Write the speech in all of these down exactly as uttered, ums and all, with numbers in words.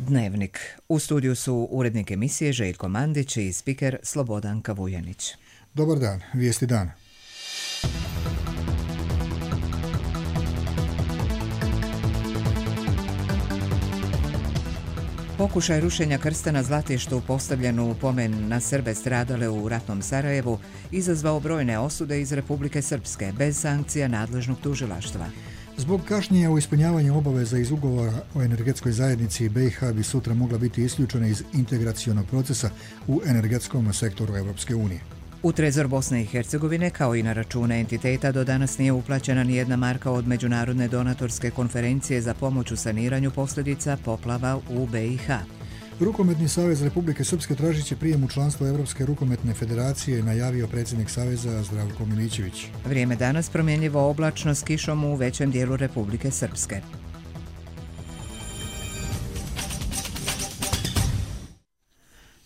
Dnevnik. U studiju su urednik emisije Željko Mandić i spiker Slobodanka Vujanić. Dobar dan, vijesti dana. Pokušaj rušenja krsta na Zlatištu postavljen u pomen na Srbe stradale u ratnom Sarajevu izazvao brojne osude iz Republike Srpske bez sankcija nadležnog tužilaštva. Zbog kašnjenja u ispunjavanju obaveza iz ugovora o energetskoj zajednici B i H bi sutra mogla biti isključena iz integracionog procesa u energetskom sektoru Europske unije. U Trezor Bosne i Hercegovine, kao i na račune entiteta, do danas nije uplaćena ni jedna marka od Međunarodne donatorske konferencije za pomoć u saniranju posljedica poplava u B i H. Rukometni savez Republike Srpske tražit će prijem u članstvo Europske rukometne federacije, najavio predsjednik saveza Zdravko Milićević. Vrijeme danas promjenjivo oblačno s kišom u većem dijelu Republike Srpske.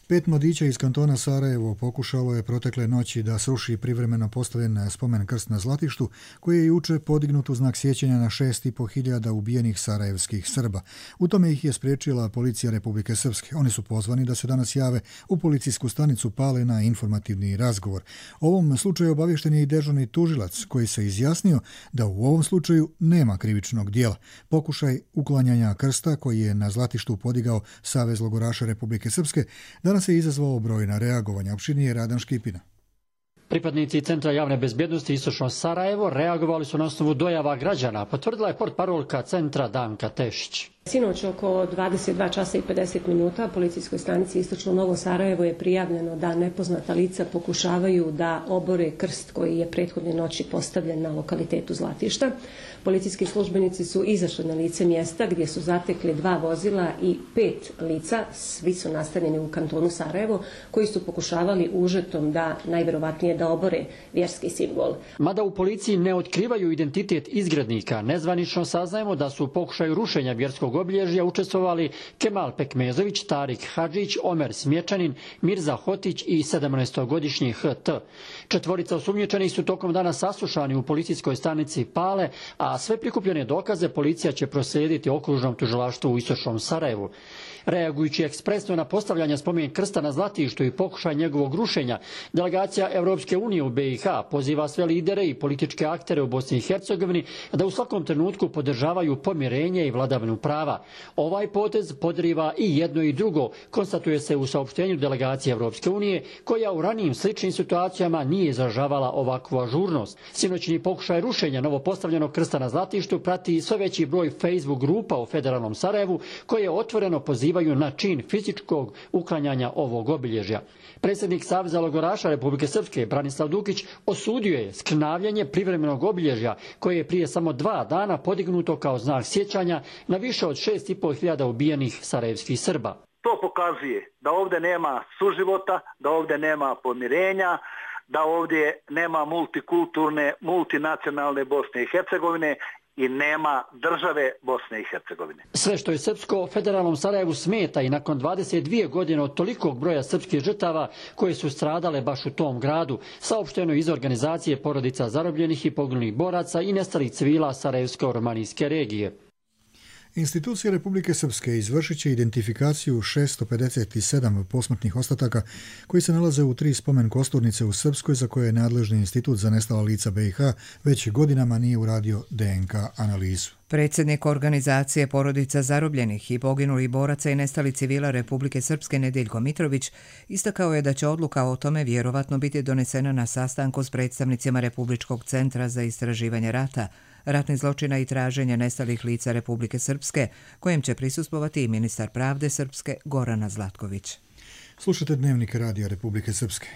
Pet mladića iz kantona Sarajevo pokušalo je protekle noći da sruši privremeno postavljen spomen krst na Zlatištu, koji je juče podignut u znak sjećanja na šest i po hiljada ubijenih sarajevskih Srba. U tome ih je spriječila policija Republike Srpske. Oni su pozvani da se danas jave u policijsku stanicu Pale na informativni razgovor. O ovom slučaju obavješten je i dežurni tužilac, koji se izjasnio da u ovom slučaju nema krivičnog dijela. Pokušaj uklanjanja krsta koji je na Zlatištu podigao Savez logoraša Republike Srpske danas se izazvao brojna reagovanja. Opširnije Radan Škipina. Pripadnici Centra javne bezbjednosti Istočno Sarajevo reagovali su na osnovu dojava građana, potvrdila je portparolka centra Danka Tešić. Sinoć oko dvadeset dva časa i pedeset minuta policijskoj stanici Istočno Novo Sarajevo je prijavljeno da nepoznata lica pokušavaju da obore krst koji je prethodne noći postavljen na lokalitetu Zlatišta. Policijski službenici su izašli na lice mjesta gdje su zatekli dva vozila i pet lica, svi su nastanjeni u kantonu Sarajevo, koji su pokušavali užetom da najvjerovatnije da obore vjerski simbol. Mada u policiji ne otkrivaju identitet izgrednika, nezvanično saznajemo da su u pokušaju rušenja vjerskog obilježja učestvovali Kemal Pekmezović, Tarik Hadžić, Omer Smječanin, Mirza Hotić i sedamnaestogodišnji H T. Četvorica osumnjičenih su tokom dana saslušani u policijskoj stanici Pale, a sve prikupljene dokaze policija će proslijediti okružnom tužilaštvu u Istočnom Sarajevu. Reagujući ekspresno na postavljanje spomen krsta na Zlatištu i pokušaj njegovog rušenja, delegacija Europske unije u B i H poziva sve lidere i političke aktere u Bosni i Hercegovini da u svakom trenutku podržavaju pomirenje i vladavinu prava. Ovaj potez podriva i jedno i drugo, konstatuje se u saopštenju delegacije Europske unije, koja u ranijim sličnim situacijama nije izražavala ovakvu ažurnost. Sinoćni pokušaj rušenja novopostavljenog krsta na Zlatištu prati sve veći broj Facebook grupa u federalnom Sarajevu, koje otvoreno pozivaju na čin fizičkog uklanjanja ovog obilježja. Predsjednik Saveza logoraša Republike Srpske Branislav Dukić osudio je skrnavljanje privremenog obilježja koje je prije samo dva dana podignuto kao znak sjećanja na više od šest i pol hiljada ubijenih sarajevskih Srba. To pokazuje da ovdje nema suživota, da ovdje nema pomirenja, da ovdje nema multikulturne, multinacionalne Bosne i Hercegovine i nema države Bosne i Hercegovine. Sve što je srpsko federalnom Sarajevu smeta i nakon dvadeset dvije godine od tolikog broja srpskih žrtava koje su stradale baš u tom gradu, saopšteno iz organizacije porodica zarobljenih i poginulih boraca i nestalih civila Sarajevsko-romanijske regije. Institucije Republike Srpske izvršit će identifikaciju šesto pedeset sedam posmrtnih ostataka koji se nalaze u tri spomen kosturnice u Srpskoj, za koje je nadležni institut za nestala lica B i H već godinama nije uradio D N K analizu. Predsjednik organizacije porodica zarobljenih i poginulih boraca i nestali civila Republike Srpske Nedeljko Mitrović istakao je da će odluka o tome vjerovatno biti donesena na sastanku s predstavnicima Republičkog centra za istraživanje rata, ratnih zločina i traženja nestalih lica Republike Srpske, kojem će prisustvovati i ministar pravde Srpske Gorana Zlatković. Slušate Dnevnik Radija Republike Srpske.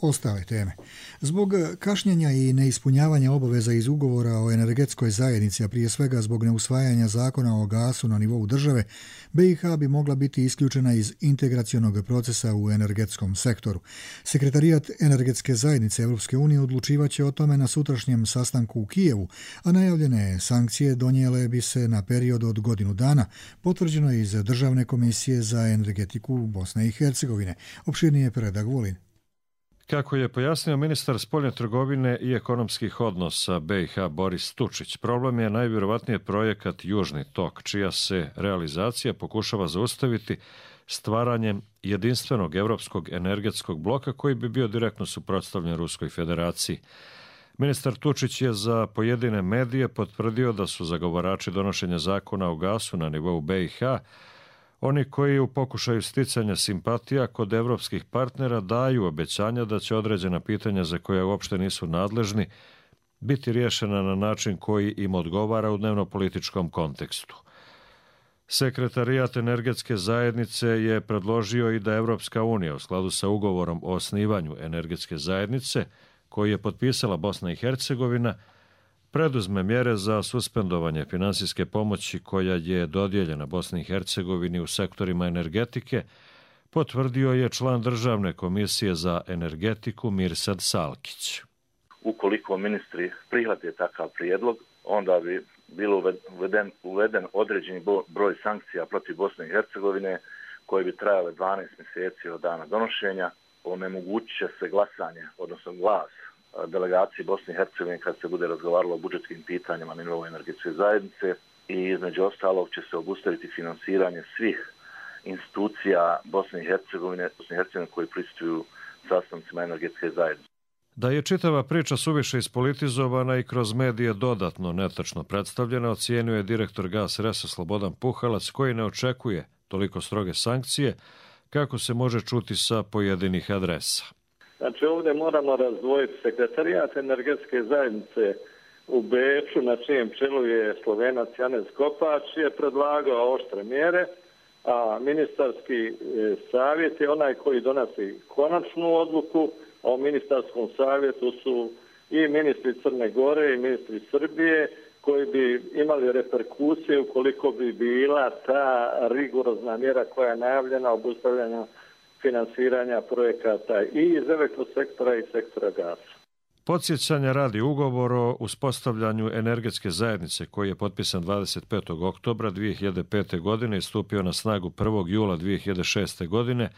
Ostale teme. Zbog kašnjenja i neispunjavanja obaveza iz ugovora o energetskoj zajednici, a prije svega zbog neusvajanja zakona o gasu na nivou države, B i H bi mogla biti isključena iz integracionog procesa u energetskom sektoru. Sekretarijat energetske zajednice Europske unije odlučivaće o tome na sutrašnjem sastanku u Kijevu, a najavljene sankcije donijele bi se na period od godinu dana, potvrđeno iz Državne komisije za energetiku Bosne i Hercegovine. Opširnije Predrag Vulin. Kako je pojasnio ministar spoljne trgovine i ekonomskih odnosa B i H Boris Tučić, problem je najvjerovatnije projekat Južni tok, čija se realizacija pokušava zaustaviti stvaranjem jedinstvenog europskog energetskog bloka koji bi bio direktno suprotstavljen Ruskoj federaciji. Ministar Tučić je za pojedine medije potvrdio da su zagovarači donošenja zakona o gasu na nivou B i H oni koji u pokušaju sticanja simpatija kod evropskih partnera daju obećanja da će određena pitanja za koja uopšte nisu nadležni biti riješena na način koji im odgovara u dnevnopolitičkom kontekstu. Sekretarijat energetske zajednice je predložio i da Evropska unija u skladu sa ugovorom o osnivanju energetske zajednice koji je potpisala Bosna i Hercegovina preduzme mjere za suspendovanje finansijske pomoći koja je dodijeljena Bosni i Hercegovini u sektorima energetike, potvrdio je član Državne komisije za energetiku Mirsad Salkić. Ukoliko ministri prihvate takav prijedlog, onda bi bilo uveden, uveden određeni broj sankcija protiv Bosne i Hercegovine koje bi trajale dvanaest mjeseci od dana donošenja. Onemogućit će se glasanje, odnosno glas delegaciji Bosne i Hercegovine kad se bude razgovaralo o budžetskim pitanjima na nivou energetske zajednice i između ostalog će se obustaviti finansiranje svih institucija Bosne i Hercegovine, Bosne i Hercegovine koji prisustuju sastancima energetske zajednice. Da je čitava priča suviše ispolitizovana i kroz medije dodatno netačno predstavljena, ocijenio je direktor Gas Resa Slobodan Puhalac, koji ne očekuje toliko stroge sankcije kako se može čuti sa pojedinih adresa. Znači ovdje moramo razdvojiti sekretarijat energetske zajednice u Beču, na čijem čelu je Slovenac Janez Kopač, je predlagao oštre mjere, a ministarski savjet je onaj koji donosi konačnu odluku, a u ministarskom savjetu su i ministri Crne Gore i ministri Srbije koji bi imali reperkusije ukoliko bi bila ta rigorozna mjera koja je najavljena obustavljanja finansiranja projekata i iz elektrosektora i sektora gasa. Podsjećanja radi ugovor o uspostavljanju energetske zajednice koji je potpisan dvadeset petog oktobra dvije hiljade pete. godine i stupio na snagu prvog jula dvije hiljade šeste. godine,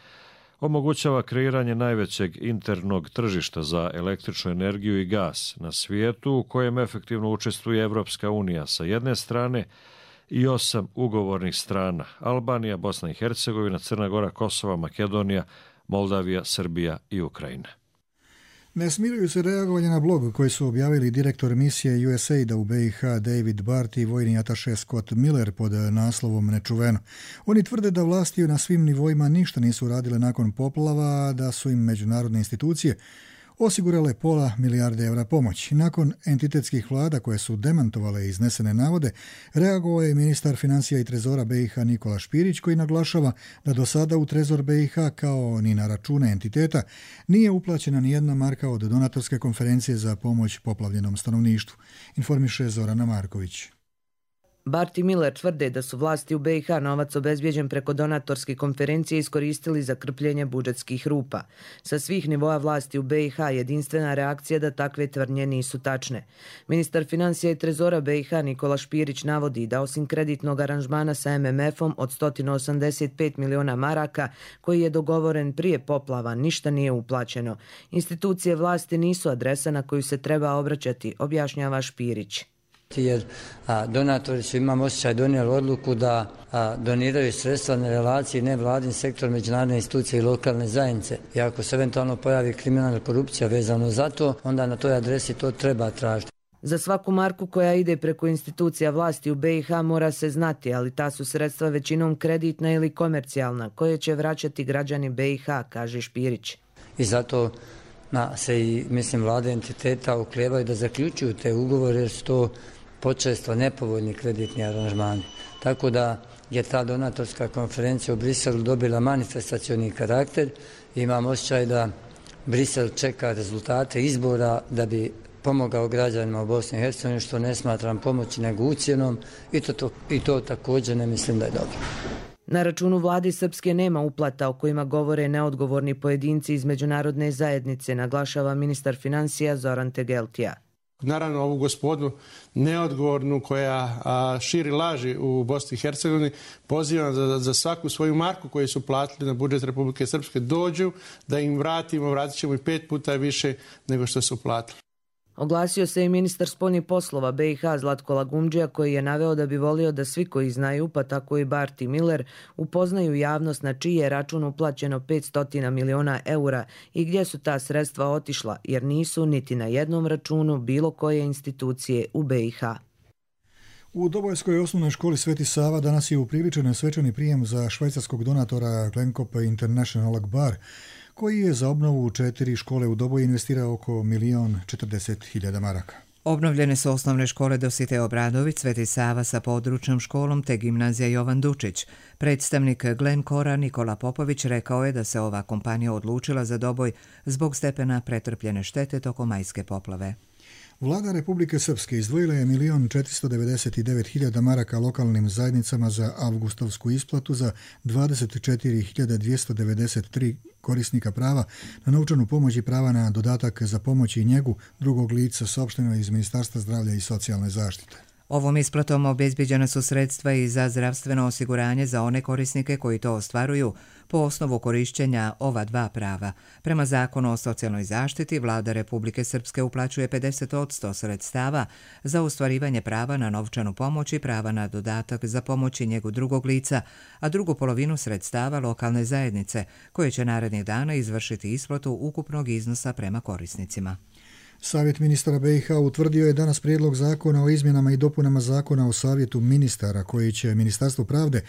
omogućava kreiranje najvećeg internog tržišta za električnu energiju i gas na svijetu u kojem efektivno učestvuje Evropska unija sa jedne strane i osam ugovornih strana: Albanija, Bosna i Hercegovina, Crna Gora, Kosova, Makedonija, Moldavija, Srbija i Ukrajina. Ne smiruju se reagovanje na blog koji su objavili direktor misije U S A I D a u B i H David Bart i vojni ataše Scott Miller pod naslovom Nečuveno. Oni tvrde da vlasti na svim nivoima ništa nisu radile nakon poplava, da su im međunarodne institucije osigurale pola milijarde evra pomoći. Nakon entitetskih vlada koje su demantovale iznesene navode, reagovao je ministar financija i trezora B i H Nikola Špirić, koji naglašava da do sada u trezor B i H kao ni na račune entiteta nije uplaćena ni jedna marka od donatorske konferencije za pomoć poplavljenom stanovništvu, informiše Zorana Marković. Bart i Miller tvrde da su vlasti u B i H novac obezbijeđen preko donatorske konferencije iskoristili za krpljenje budžetskih rupa. Sa svih nivoa vlasti u B i H jedinstvena reakcija da takve tvrdnje nisu tačne. Ministar financija i trezora B i H Nikola Špirić navodi da osim kreditnog aranžmana sa M M F-om od sto osamdeset pet miliona maraka koji je dogovoren prije poplava, ništa nije uplaćeno. Institucije vlasti nisu adresa na koju se treba obraćati, objašnjava Špirić. Jer a, donatori su, imam osjećaj, donijeli odluku da a, doniraju sredstva na relaciji nevladin sektor, međunarodne institucije i lokalne zajednice. I ako se eventualno pojavi kriminalna korupcija vezano za to, onda na toj adresi to treba tražiti. Za svaku marku koja ide preko institucija vlasti u B i H mora se znati, ali ta su sredstva većinom kreditna ili komercijalna, koje će vraćati građani B i H, kaže Špirić. I zato na, se i, mislim, vlade entiteta uklijevaju da zaključuju te ugovore jer su to počesto nepovoljni kreditni aranžmani. Tako da je ta donatorska konferencija u Briselu dobila manifestacioni karakter i imam osjećaj da Brisel čeka rezultate izbora da bi pomogao građanima u Bosni i Hercegovini, što ne smatram pomoći nego ucjenom i to, to, i to također ne mislim da je dobro. Na računu vlade Srpske nema uplata o kojima govore neodgovorni pojedinci iz međunarodne zajednice, naglašava ministar financija Zoran Tegeltija. Naravno, ovu gospodu neodgovornu koja a, širi laži u Bosni i Hercegovini pozivam za, za svaku svoju marku koju su platili na budžet Republike Srpske dođu da im vratimo, vratit ćemo i pet puta više nego što su platili. Oglasio se i ministar spoljnih poslova B i H Zlatko Lagumdžija koji je naveo da bi volio da svi koji znaju, pa tako i Barti Miller, upoznaju javnost na čiji je račun uplaćeno petsto miliona eura i gdje su ta sredstva otišla, jer nisu niti na jednom računu bilo koje institucije u B i H. U Dobojskoj osnovnoj školi Sveti Sava danas je upriličen svečani prijem za švajcarskog donatora Glenkop International Akbar, koji je za obnovu četiri škole u Doboji investirao oko milion četrdeset hiljada maraka. Obnovljene su osnovne škole Dositej Obradović, Sveti Sava sa područnom školom te gimnazija Jovan Dučić. Predstavnik Glenkora Nikola Popović rekao je da se ova kompanija odlučila za Doboj zbog stepena pretrpljene štete tokom majske poplave. Vlada Republike Srpske izdvojila je milion četiristo devedeset devet hiljada maraka lokalnim zajednicama za avgustovsku isplatu za dvadeset četiri hiljade dvjesto devedeset tri korisnika prava na novčanu pomoć i prava na dodatak za pomoć i njegu drugog lica, saopšteno iz Ministarstva zdravlja i socijalne zaštite. Ovom isplatom obezbijeđena su sredstva i za zdravstveno osiguranje za one korisnike koji to ostvaruju po osnovu korišćenja ova dva prava. Prema Zakonu o socijalnoj zaštiti, Vlada Republike Srpske uplaćuje pedeset posto sredstava za ostvarivanje prava na novčanu pomoć i prava na dodatak za pomoć i njegu drugog lica, a drugu polovinu sredstava lokalne zajednice, koje će narednih dana izvršiti isplatu ukupnog iznosa prema korisnicima. Savjet ministara B i H utvrdio je danas prijedlog zakona o izmjenama i dopunama zakona o savjetu ministara koji će Ministarstvo pravde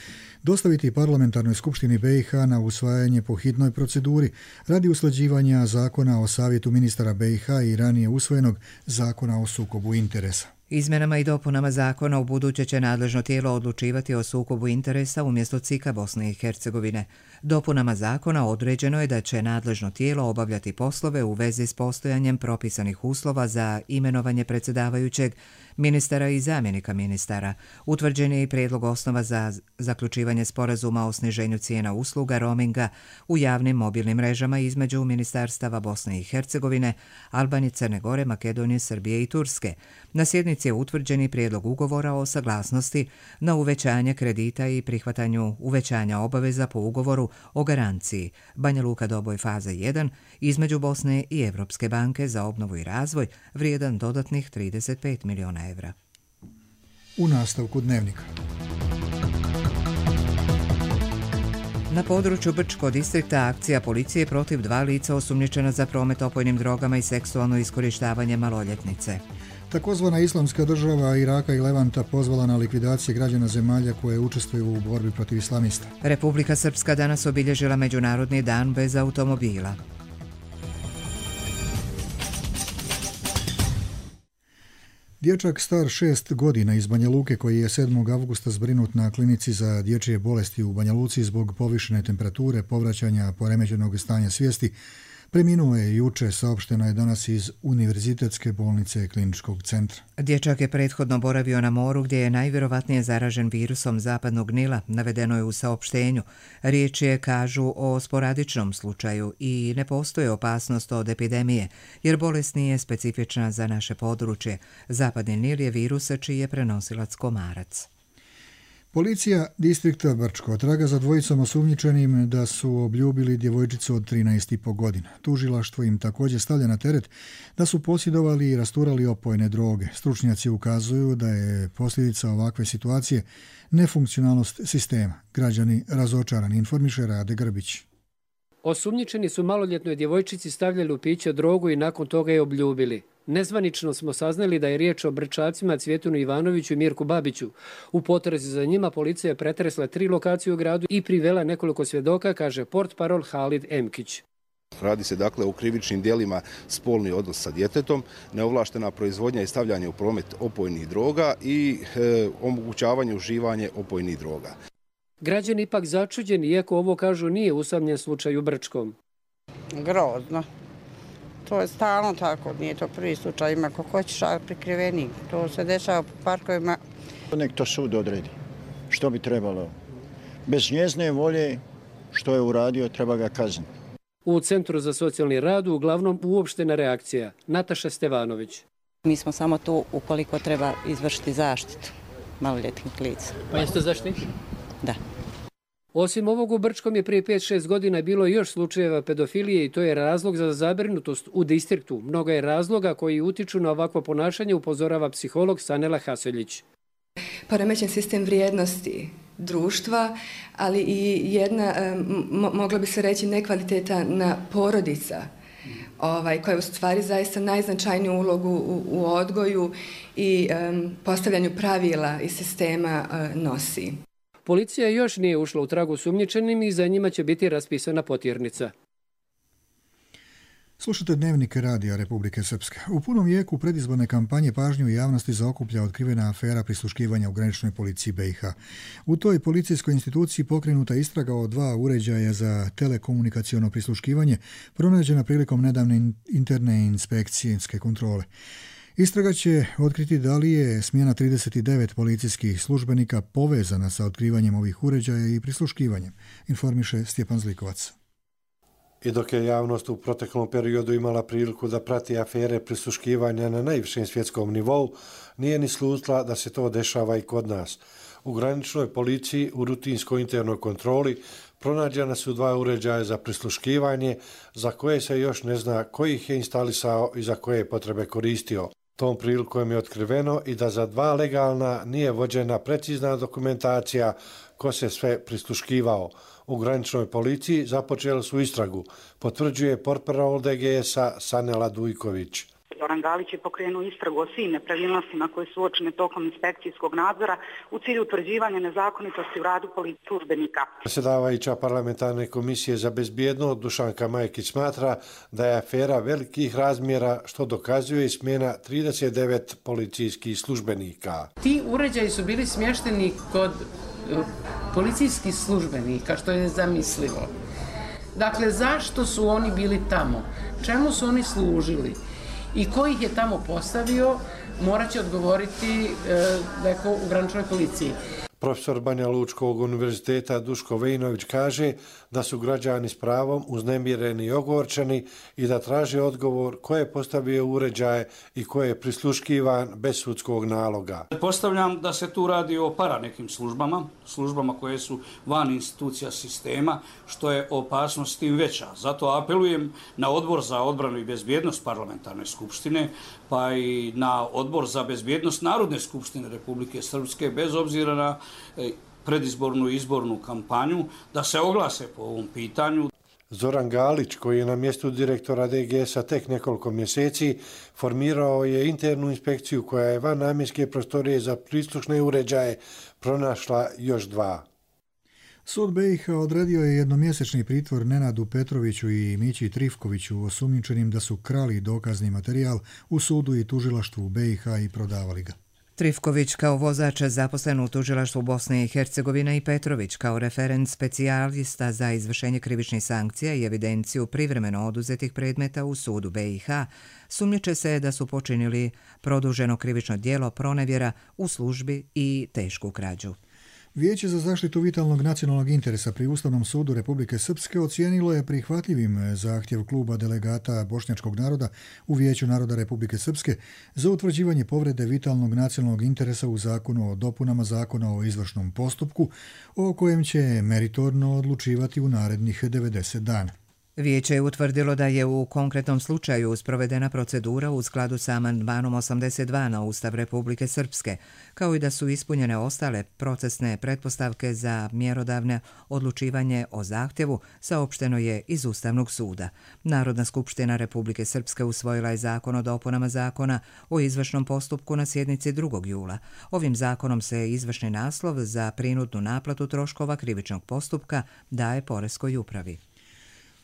dostaviti parlamentarnoj skupštini B i H na usvajanje po hitnoj proceduri radi usklađivanja zakona o savjetu ministara B i H i ranije usvojenog zakona o sukobu interesa. Izmjenama i dopunama zakona u buduće će nadležno tijelo odlučivati o sukobu interesa umjesto C I K-a Bosne i Hercegovine. Dopunama zakona određeno je da će nadležno tijelo obavljati poslove u vezi s postojanjem propisanih uslova za imenovanje predsjedavajućeg, ministara i zamjenika ministara. Utvrđen je i prijedlog osnova za zaključivanje sporazuma o sniženju cijena usluga roaminga u javnim mobilnim mrežama između ministarstava Bosne i Hercegovine, Albanije, Crne Gore, Makedonije, Srbije i Turske. Na sjednici je utvrđen i prijedlog ugovora o saglasnosti na uvećanje kredita i prihvatanju uvećanja obaveza po ugovoru o garanciji Banja Luka Doboj faza jedan između Bosne i Evropske banke za obnovu i razvoj vrijedan dodatnih trideset pet miliona evra. U nastavku dnevnika. Na području Brčkog distrikta akcija policije protiv dva lica osumnjičena za promet opojnim drogama i seksualno iskorištavanje maloljetnice. Takozvana islamska država Iraka i Levanta pozvala na likvidacije građana zemalja koje učestvuju u borbi protiv islamista. Republika Srpska danas obilježila Međunarodni dan bez automobila. Dječak star šest godina iz Banja Luke koji je sedmog avgusta zbrinut na klinici za dječje bolesti u Banja Luci zbog povišene temperature, povraćanja poremećenog stanja svijesti, preminuo je juče, saopšteno je danas iz Univerzitetske bolnice Kliničkog centra. Dječak je prethodno boravio na moru gdje je najvjerovatnije zaražen virusom zapadnog Nila, navedeno je u saopštenju. Riječ je, kažu, o sporadičnom slučaju i ne postoji opasnost od epidemije, jer bolest nije specifična za naše područje. Zapadni Nil je virus čiji je prenosilac komarac. Policija distrikta Brčko traga za dvojicom osumnjičenim da su obljubili djevojčicu od trinaest i po godina. Tužilaštvo im također stavlja na teret da su posjedovali i rasturali opojne droge. Stručnjaci ukazuju da je posljedica ovakve situacije nefunkcionalnost sistema. Građani razočarani, informiše Rade Grbić. Osumnjičeni su maloljetnoj djevojčici stavljali u piće drogu i nakon toga je obljubili. Nezvanično smo saznali da je riječ o Brčacima Cvjetunu Ivanoviću i Mirku Babiću. U potrazi za njima policija je pretresla tri lokacije u gradu i privela nekoliko svjedoka, kaže portparol Halid Emkić. Radi se dakle o krivičnim djelima spolni odnos sa djetetom, neovlaštena proizvodnja i stavljanje u promet opojnih droga i e, omogućavanje uživanje opojnih droga. Građani ipak začuđeni, iako ovo kažu nije usamljen slučaj u Brčkom. Grozno. To je stalno tako, nije to prvi slučaj, ima ko hoćeš, a prikriveni. To se dešava po parkovima. Nek to sud odredi. Što bi trebalo? Bez njezne volje, što je uradio, treba ga kazniti. U Centru za socijalni rad uglavnom uopštena reakcija. Nataša Stevanović. Mi smo samo tu ukoliko treba izvršiti zaštitu maloljetnih lica. Pa jeste zaštitni? Da. Osim ovog u Brčkom je prije pet šest godina bilo još slučajeva pedofilije i to je razlog za zabrinutost u distriktu. Mnogo je razloga koji utiču na ovakvo ponašanje, upozorava psiholog Sanela Haseljić. Poremećen sistem vrijednosti društva, ali i jedna, mogla bi se reći, nekvalitetna porodica, ovaj, koja u stvari zaista najznačajniju ulogu u, u odgoju i um, postavljanju pravila i sistema uh, nosi. Policija još nije ušla u tragu sumnjičenim i za njima će biti raspisana potjernica. Slušate Dnevnik radija Republike Srpske. U punom jeku predizborne kampanje pažnju javnosti zaokuplja otkrivena afera prisluškivanja u graničnoj policiji B i H. U toj policijskoj instituciji pokrenuta istraga o dva uređaja za telekomunikaciono prisluškivanje pronađena prilikom nedavne interne inspekcijske kontrole. Istraga će otkriti da li je smjena trideset devet policijskih službenika povezana sa otkrivanjem ovih uređaja i prisluškivanjem, informiše Stjepan Zlikovac. I dok je javnost u proteklom periodu imala priliku da prati afere prisluškivanja na najvišem svjetskom nivou, nije ni slutila da se to dešava i kod nas. U graničnoj policiji u rutinskoj internoj kontroli pronađena su dva uređaja za prisluškivanje za koje se još ne zna koji ih je instalisao i za koje potrebe koristio. Tom prilikom je otkriveno i da za dva legalna nije vođena precizna dokumentacija ko se sve prisluškivao. U graničnoj policiji započeli su istragu, potvrđuje portparol D G S-a Sanela Dujković. Zoran Galić je pokrenuo istragu o svim nepravilnostima koje su uočene tokom inspekcijskog nadzora u cilju utvrđivanja nezakonitosti u radu policijskih službenika. Predsjedavajuća parlamentarne komisije za bezbjednost Dušanka Majkić smatra da je afera velikih razmjera što dokazuje i smjena trideset devet policijskih službenika. Ti uređaji su bili smješteni kod policijskih službenika, što je nezamislivo. Dakle, zašto su oni bili tamo? Čemu su oni služili? I ko ih je tamo postavio, morat će odgovoriti e, neko u graničnoj policiji. Profesor Banja Lučkog univerziteta Duško Vejinović kaže da su građani s pravom uznemireni i ogorčeni i da traže odgovor ko je postavio uređaje i ko je prisluškivan bez sudskog naloga. Postavljam da se tu radi o para nekim službama, službama koje su van institucija sistema, što je opasnost tim veća. Zato apelujem na Odbor za odbranu i bezbjednost parlamentarne skupštine, pa i na Odbor za bezbjednost Narodne skupštine Republike Srpske, bez obzira na predizbornu i izbornu kampanju, da se oglase po ovom pitanju. Zoran Galić, koji je na mjestu direktora D G S-a tek nekoliko mjeseci, formirao je internu inspekciju koja je van namjenske prostorije za prislušne uređaje pronašla još dva. Sud B i H odredio je jednomjesečni pritvor Nenadu Petroviću i Mići Trifkoviću osumnjičenim da su krali dokazni materijal u sudu i tužilaštvu B i H i prodavali ga. Trifković kao vozač zaposlen u tužilaštvu Bosne i Hercegovine i Petrović kao referent specijalista za izvršenje krivičnih sankcija i evidenciju privremeno oduzetih predmeta u sudu B i H sumnjiče se da su počinili produženo krivično djelo pronevjera u službi i tešku krađu. Vijeće za zaštitu vitalnog nacionalnog interesa pri Ustavnom sudu Republike Srpske ocijenilo je prihvatljivim zahtjev kluba delegata bošnjačkog naroda u Vijeću naroda Republike Srpske za utvrđivanje povrede vitalnog nacionalnog interesa u zakonu o dopunama zakona o izvršnom postupku, o kojem će meritorno odlučivati u narednih devedeset dana. Vijeće je utvrdilo da je u konkretnom slučaju sprovedena procedura u skladu sa amandmanom osamdeset dva na Ustav Republike Srpske, kao i da su ispunjene ostale procesne pretpostavke za mjerodavne odlučivanje o zahtjevu, saopšteno je iz Ustavnog suda. Narodna skupština Republike Srpske usvojila je zakon o dopunama zakona o izvršnom postupku na sjednici drugog jula. Ovim zakonom se izvršni naslov za prinudnu naplatu troškova krivičnog postupka daje poreskoj upravi.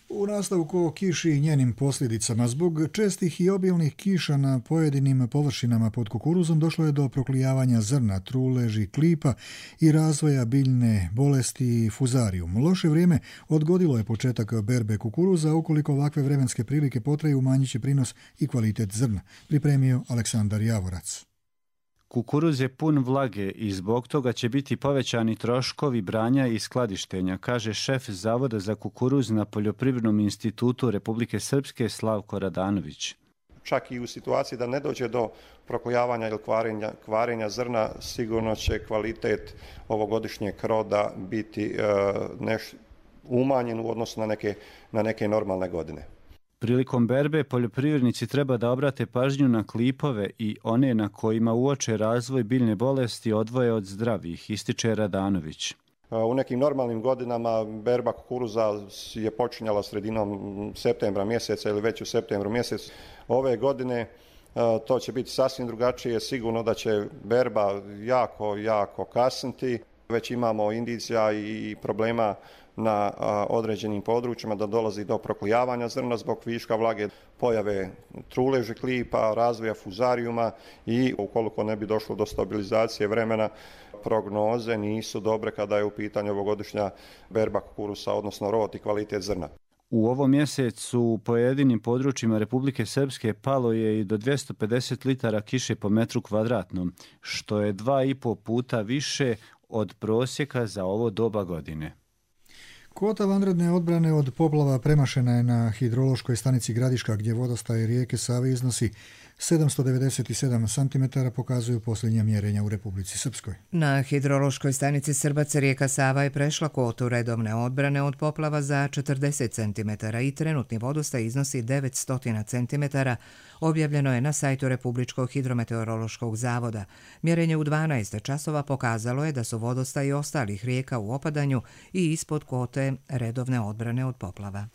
U nastavku o kiši i njenim posljedicama, zbog čestih i obilnih kiša na pojedinim površinama pod kukuruzom došlo je do proklijavanja zrna, truleži, klipa i razvoja biljne bolesti fuzarium. Loše vrijeme odgodilo je početak berbe kukuruza, ukoliko ovakve vremenske prilike potraju umanjit će prinos i kvalitet zrna, pripremio Aleksandar Javorac. Kukuruz je pun vlage i zbog toga će biti povećani troškovi branja i skladištenja, kaže šef Zavoda za kukuruz na Poljoprivrednom institutu Republike Srpske Slavko Radanović. čak i u situaciji da ne dođe do proklijavanja ili kvarenja, kvarenja zrna, sigurno će kvalitet ovogodišnjeg roda biti neš, umanjen u odnosu na neke, na neke normalne godine. Prilikom berbe poljoprivrednici treba da obrate pažnju na klipove i one na kojima uoče razvoj biljne bolesti odvoje od zdravih, ističe Radanović. U nekim normalnim godinama berba kukuruza je počinjala sredinom septembra mjeseca ili već u septembru mjesecu. Ove godine to će biti sasvim drugačije, sigurno da će berba jako, jako kasniti. Već imamo indicija i problema na određenim područjima da dolazi do proklijavanja zrna zbog viška vlage, pojave truležeg klipa, razvoja fuzarijuma i ukoliko ne bi došlo do stabilizacije vremena, prognoze nisu dobre kada je u pitanju ovogodišnja berba kukurusa, odnosno rod i kvalitet zrna. U ovom mjesecu u pojedinim područjima Republike Srpske palo je i do dvjesto pedeset litara kiše po metru kvadratnom, što je dva i po puta više od prosjeka za ovo doba godine. Kvota vanredne odbrane od poplava premašena je na hidrološkoj stanici Gradiška, gdje vodostaj rijeke Save iznosi sedamsto devedeset sedam centimetara, pokazuju posljednja mjerenja u Republici Srpskoj. Na hidrološkoj stanici Srbac rijeka Sava je prešla kvotu redovne odbrane od poplava za četrdeset centimetara i trenutni vodostaj iznosi devetsto centimetara, objavljeno je na sajtu Republičkog hidrometeorološkog zavoda. Mjerenje u dvanaest časova pokazalo je da su vodostaji ostalih rijeka u opadanju i ispod kvote redovne odbrane od poplava.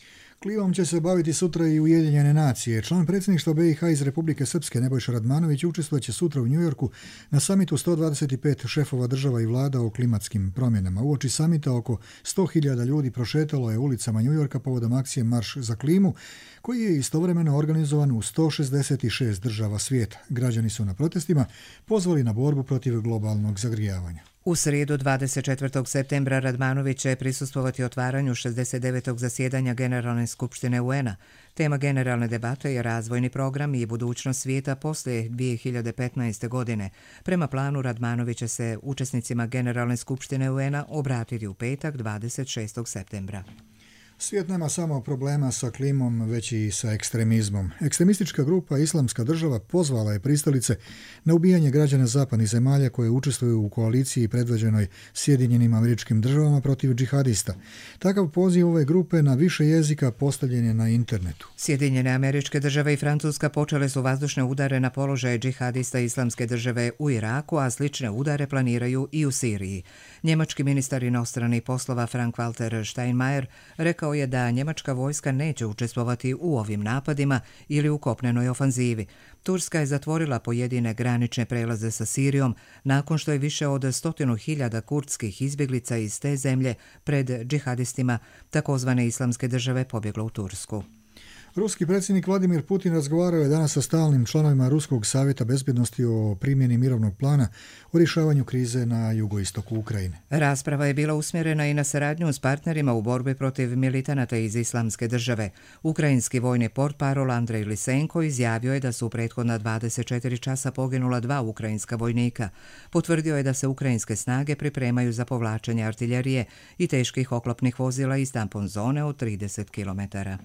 Klivom će se baviti sutra i Ujedinjene nacije. Član predsjedništva B i H iz Republike Srpske Nebojša Radmanović učestvovat će sutra u Njujorku na samitu sto dvadeset pet šefova država i vlada o klimatskim promjenama. Uoči samita oko sto hiljada ljudi prošetalo je ulicama Njujorka povodom akcije Marš za klimu, koji je istovremeno organizovan u sto šezdeset šest država svijeta. Građani su na protestima pozvali na borbu protiv globalnog zagrijavanja. U srijedu dvadeset četvrtog septembra Radmanović će prisustvovati otvaranju šezdeset devetog zasjedanja Generalne skupštine U N-a. Tema generalne debate je razvojni program i budućnost svijeta poslije dvije hiljade petnaeste. godine. Prema planu Radmanović će se učesnicima Generalne skupštine U N-a obratiti u petak dvadeset šestog septembra. Svijet nema samo problema sa klimom, već i sa ekstremizmom. Ekstremistička grupa Islamska država pozvala je pristalice na ubijanje građana zapadnih zemalja koje učestvuju u koaliciji predvođenoj Sjedinjenim Američkim Državama protiv džihadista. Takav poziv ove grupe na više jezika postavljen je na internetu. Sjedinjene Američke Države i Francuska počele su vazdušne udare na položaje džihadista Islamske države u Iraku, a slične udare planiraju i u Siriji. Njemački ministar inostranih poslova Frank-Walter Steinmeier rekao je da njemačka vojska neće učestvovati u ovim napadima ili u kopnenoj ofanzivi. Turska je zatvorila pojedine granične prelaze sa Sirijom nakon što je više od stotinu hiljada kurdskih izbjeglica iz te zemlje pred džihadistima takozvane Islamske države pobjeglo u Tursku. Ruski predsjednik Vladimir Putin razgovarao je danas sa stalnim članovima Ruskog savjeta bezbjednosti o primjeni mirovnog plana o rješavanju krize na jugoistoku Ukrajine. Rasprava je bila usmjerena i na saradnju s partnerima u borbi protiv militanata iz Islamske države. Ukrajinski vojni portparol Andrej Lisenko izjavio je da su u prethodna dvadeset četiri časa poginula dva ukrajinska vojnika. Potvrdio je da se ukrajinske snage pripremaju za povlačenje artiljerije i teških oklopnih vozila iz tampon zone od trideset kilometara.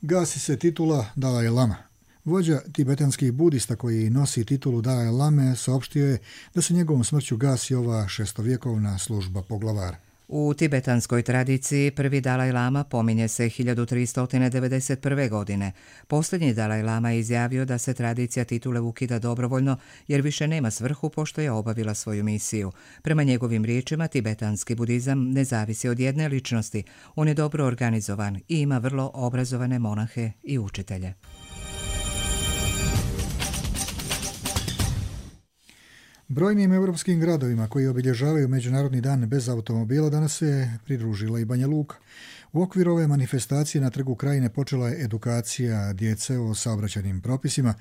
Gasi se titula Dalaj Lama. Vođa tibetanskih budista koji nosi titulu Dalaj Lame saopštio je da se njegovom smrću gasi ova šestovjekovna služba poglavara. U tibetanskoj tradiciji prvi Dalaj Lama pominje se hiljadu tristo devedeset prve. godine. Posljednji Dalaj Lama je izjavio da se tradicija titule ukida dobrovoljno jer više nema svrhu pošto je obavila svoju misiju. Prema njegovim riječima, tibetanski budizam ne zavisi od jedne ličnosti. On je dobro organizovan i ima vrlo obrazovane monahe i učitelje. Brojnim europskim gradovima koji obilježavaju Međunarodni dan bez automobila danas se pridružila i Banja Luka. U okviru ove manifestacije na Trgu Krajine počela je edukacija djece o saobraćajnim propisima.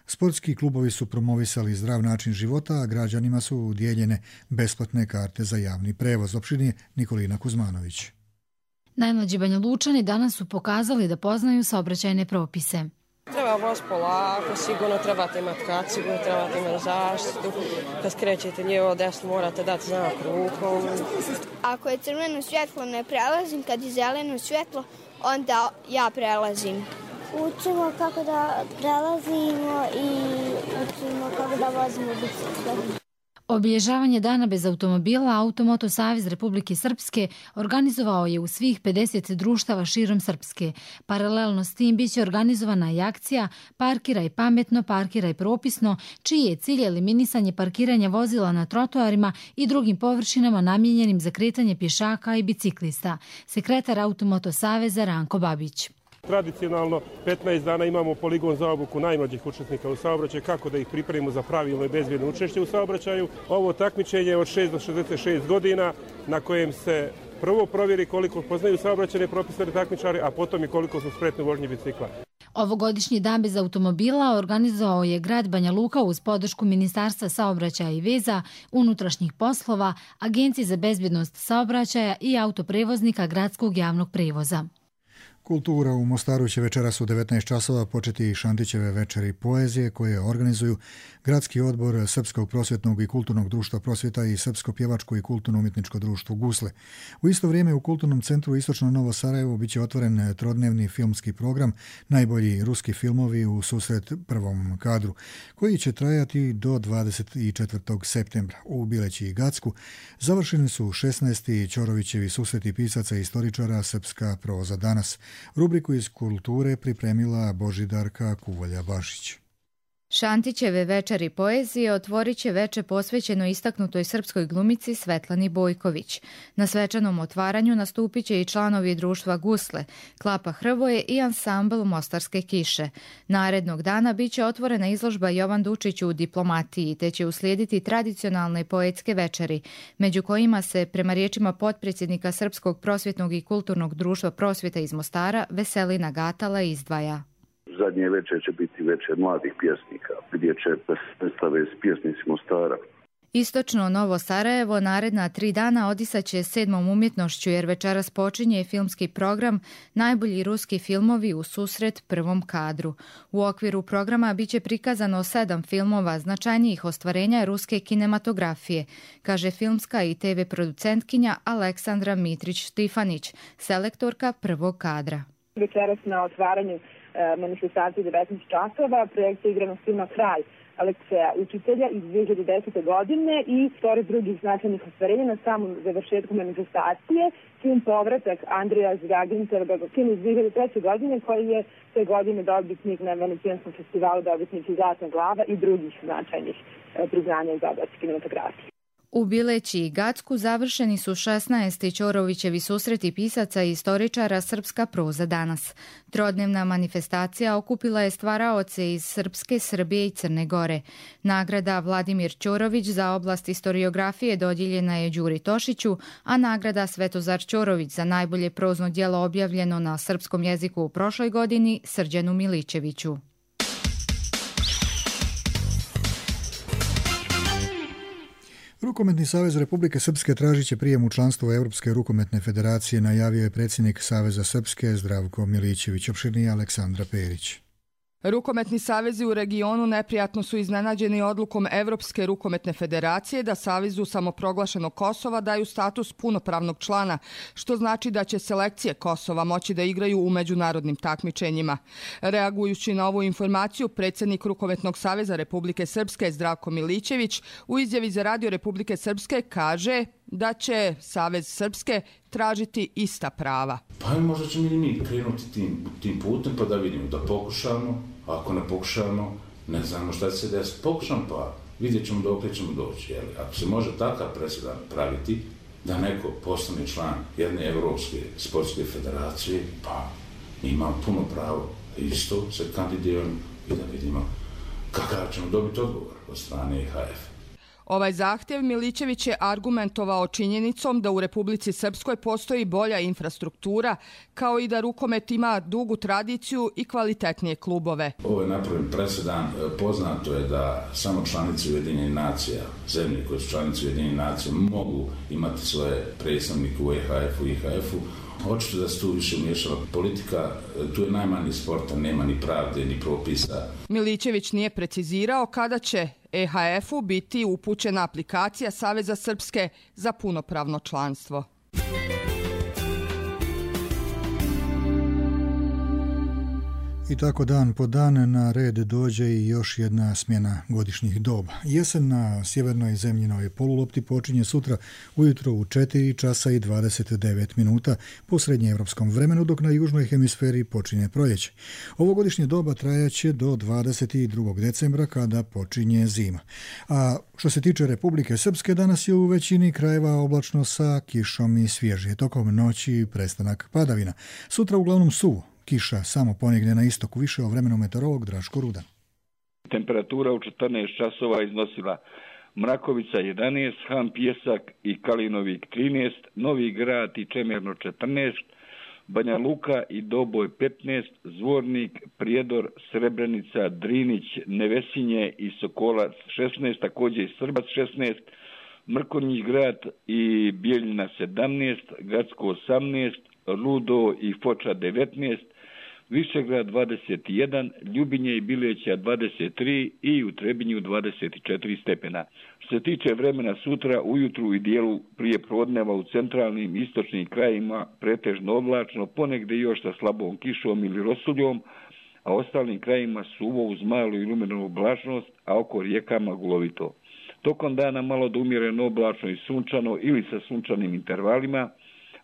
Sportski klubovi su promovisali zdrav način života, a građanima su dijeljene besplatne karte za javni prevoz. Opširnije Nikolina Kuzmanović. Najmlađi Banja Lučani danas su pokazali da poznaju saobraćajne propise. Treba voz polako, sigurno trebate imati kacigu, trebate imati zaštitu. Kad skrećete lijevo desno morate dati znak rukom. Ako je crveno svjetlo ne prelazim, kad je zeleno svjetlo onda ja prelazim. učimo kako da prelazimo i učimo kako da vozimo bicikle. Obilježavanje dana bez automobila Automoto Savez Republike Srpske organizovao je u svih pedeset društava širom Srpske. Paralelno s tim biće organizovana i akcija Parkiraj pametno, parkiraj propisno, čiji je cilj eliminisanje parkiranja vozila na trotoarima i drugim površinama namijenjenim za kretanje pješaka i biciklista. Sekretar Automoto Saveza Ranko Babić. Tradicionalno petnaest dana imamo poligon za obuku najmlađih učesnika u saobraćaju, kako da ih pripremimo za pravilno i bezbjedno učešće u saobraćaju. Ovo takmičenje je od šest do šezdeset šest godina na kojem se prvo provjeri koliko poznaju saobraćajne propisane takmičare, a potom i koliko su spretni u vožnji bicikla. Ovogodišnji dan bez automobila organizovao je grad Banja Luka uz podršku Ministarstva saobraćaja i veza, unutrašnjih poslova, Agencije za bezbjednost saobraćaja i autoprevoznika gradskog javnog prevoza. Kultura u Mostaru će večeras u devetnaest časova početi Šantićeve večeri poezije koje organizuju Gradski odbor Srpskog prosvjetnog i kulturnog društva Prosvjeta i Srpsko pjevačko i kulturno-umjetničko društvo Gusle. U isto vrijeme u Kulturnom centru Istočno Novo Sarajevo biće otvoren trodnevni filmski program Najbolji ruski filmovi u susret prvom kadru, koji će trajati do dvadeset četvrtog septembra. U Bileći i Gacku završeni su šesnaesti Ćorovićevi susreti pisaca i istoričara Srpska proza danas. Rubriku iz kulture pripremila Božidarka Kuvalja-Bašić. Šantićeve večeri poezije otvorit će veče posvećeno istaknutoj srpskoj glumici Svetlani Bojković. Na svečanom otvaranju nastupit će i članovi društva Gusle, Klapa Hrvoje i ansambl Mostarske kiše. Narednog dana bit će otvorena izložba Jovan Dučić u diplomatiji, te će uslijediti tradicionalne poetske večeri, među kojima se, prema riječima potpredsjednika Srpskog prosvjetnog i kulturnog društva Prosvjeta iz Mostara, Veselina Gatala izdvaja. Zadnje večer će biti večer mladih pjesnika, gdje će predstave s pjesnicima Mostara. Istočno Novo Sarajevo naredna tri dana odisaće sedmom umjetnošću, jer večeras počinje filmski program Najbolji ruski filmovi u susret prvom kadru. U okviru programa biće prikazano sedam filmova značajnijih ostvarenja ruske kinematografije, kaže filmska i te ve producentkinja Aleksandra Mitrić-Štifanić, selektorka prvog kadra. Večeras na otvaranju manifestacije devetnaest časova projekcija igranog filma Kralj Alekseja Učitelja iz dvije hiljade desete. godine i pored drugih značajnih ostvarenja na samom završetku manifestacije film Povratak Andreja Zvjaginčeva, film iz dvije hiljade treće. godine koji je te godine dobitnik na Venecijanskom festivalu, dobitnik i Zlatna glava i drugih značajnih priznanja iz oblasti kinematografije. U Bileći i Gacku završeni su šesnaesti Ćorovićevi susreti pisaca i istoričara Srpska proza danas. Trodnevna manifestacija okupila je stvaraoce iz Srpske, Srbije i Crne Gore. Nagrada Vladimir Ćorović za oblast historiografije dodijeljena je Đuri Tošiću, a nagrada Svetozar Ćorović za najbolje prozno djelo objavljeno na srpskom jeziku u prošloj godini Srđanu Milićeviću. Rukometni savez Republike Srpske tražit će prijem u članstvo Europske rukometne federacije, najavio je predsjednik Saveza Srpske Zdravko Milićević. Opširnije Aleksandra Perić. Rukometni savezi u regionu neprijatno su iznenađeni odlukom Evropske rukometne federacije da Savezu samoproglašenog Kosova daju status punopravnog člana, što znači da će selekcije Kosova moći da igraju u međunarodnim takmičenjima. Reagujući na ovu informaciju, predsjednik Rukometnog saveza Republike Srpske Zdravko Milićević u izjavi za Radio Republike Srpske kaže da će Savez Srpske tražiti ista prava. Pa možda ćemo i mi krenuti tim, tim putem pa da vidimo, da pokušamo, a ako ne pokušamo, ne znamo šta će se desiti. Pokušamo pa vidjet ćemo dok ćemo doći. Jeli? Ako se može takav presedan praviti da neko postane član jedne Evropske sportske federacije, pa ima puno pravo isto se kandidiramo i da vidimo kakav ćemo dobiti odgovor od strane ha ef. Ovaj zahtjev Milićević je argumentovao činjenicom da u Republici Srpskoj postoji bolja infrastruktura, kao i da rukomet ima dugu tradiciju i kvalitetnije klubove. Ovo je napravljen presedan. Poznato je da samo članice Ujedinjenih nacija, zemlje koje su članice Ujedinjenih nacija, mogu imati svoje predstavnike u e ha efu i i ha efu. Očito da se tu više umiješala politika, tu je najmanje sporta, nema ni pravde, ni propisa. Milićević nije precizirao kada će e ha efu biti upućena aplikacija Saveza Srpske za punopravno članstvo. I tako dan po dan na red dođe i još jedna smjena godišnjih doba. Jesen na sjevernoj zemljinoj polulopti počinje sutra ujutro u četiri časa i dvadeset devet minuta po srednjeevropskom vremenu, dok na južnoj hemisferi počinje proljeće. Ovo godišnje doba trajaće do dvadeset drugog decembra kada počinje zima. A što se tiče Republike Srpske, danas je u većini krajeva oblačno sa kišom i svježije. Tokom noći prestanak padavina. Sutra uglavnom suvo. Kiša samo ponigne na istoku. Više o vremenu meteorolog Draško Rudan. Temperatura u četrnaest časova iznosila Mrakovica jedanaest, Han Pjesak i Kalinovik trinaest, Novi Grad i Čemerno četrnaest, Banja Luka i Doboj petnaest, Zvornik, Prijedor, Srebrenica, Drinić, Nevesinje i Sokolac šesnaest, također i Srbac šesnaest, Mrkonjić Grad i Bijeljina sedamnaest, Gradsko osamnaest, Rudo i Foča devetnaest, Višegrad dvadeset jedan, Ljubinje i Bileća dvadeset tri i u Trebinju dvadeset četiri stepena. Što se tiče vremena sutra, ujutru i dijelu prije podneva u centralnim i istočnim krajima pretežno oblačno, ponegde još sa slabom kišom ili rosuljom, a ostalim krajima suvo uz malu i lumenu oblačnost, a oko rijekama gulovito. Tokom dana malo do umjereno oblačno i sunčano ili sa sunčanim intervalima,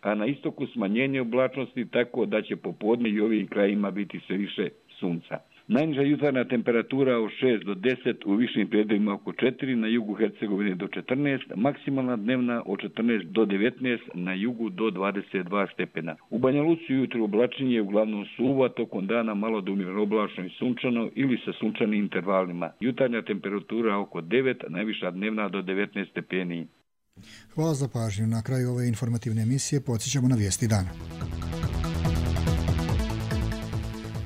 a na istoku smanjenje oblačnosti tako da će popodne i ovim krajima biti sve više sunca. Najniža jutarnja temperatura od šest do deset, u višim predjelima oko četiri, na jugu Hercegovine do četrnaest, maksimalna dnevna od četrnaest do devetnaest, na jugu do dvadeset dva stepena. U Banja Luci jutro oblačenje uglavnom suvo, tokom dana malo do umjereno oblačno i sunčano ili sa sunčanim intervalima. Jutarnja temperatura oko devet, najviša dnevna do devetnaest stepeni. Hvala za pažnju. Na kraju ove informativne emisije podsjećamo na vijesti dana.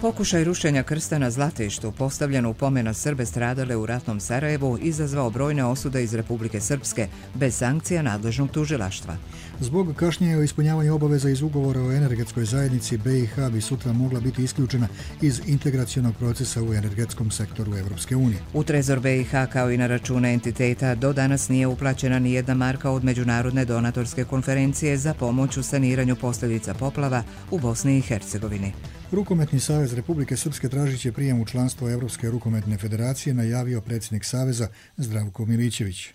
Pokušaj rušenja krsta na Zlatištu, postavljen u pomen na Srbe stradale u ratnom Sarajevu, izazvao brojne osude iz Republike Srpske, bez sankcija nadležnog tužilaštva. Zbog kašnjenja o ispunjavanju obaveza iz ugovora o energetskoj zajednici, B i H bi sutra mogla biti isključena iz integracionog procesa u energetskom sektoru Evropske unije. U trezor B i H kao i na račune entiteta do danas nije uplaćena ni jedna marka od Međunarodne donatorske konferencije za pomoć u saniranju posljedica poplava u Bosni i Hercegovini. Rukometni savez Republike Srpske tražit će prijem u članstvo Evropske rukometne federacije, najavio predsjednik saveza Zdravko Milićević.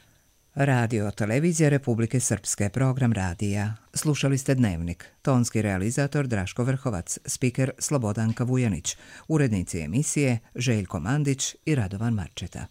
Radio televizija Republike Srpske, program radija. Slušali ste Dnevnik. Tonski realizator Draško Vrhovac, spiker Slobodanka Vujanić, urednici emisije Željko Mandić i Radovan Marčeta.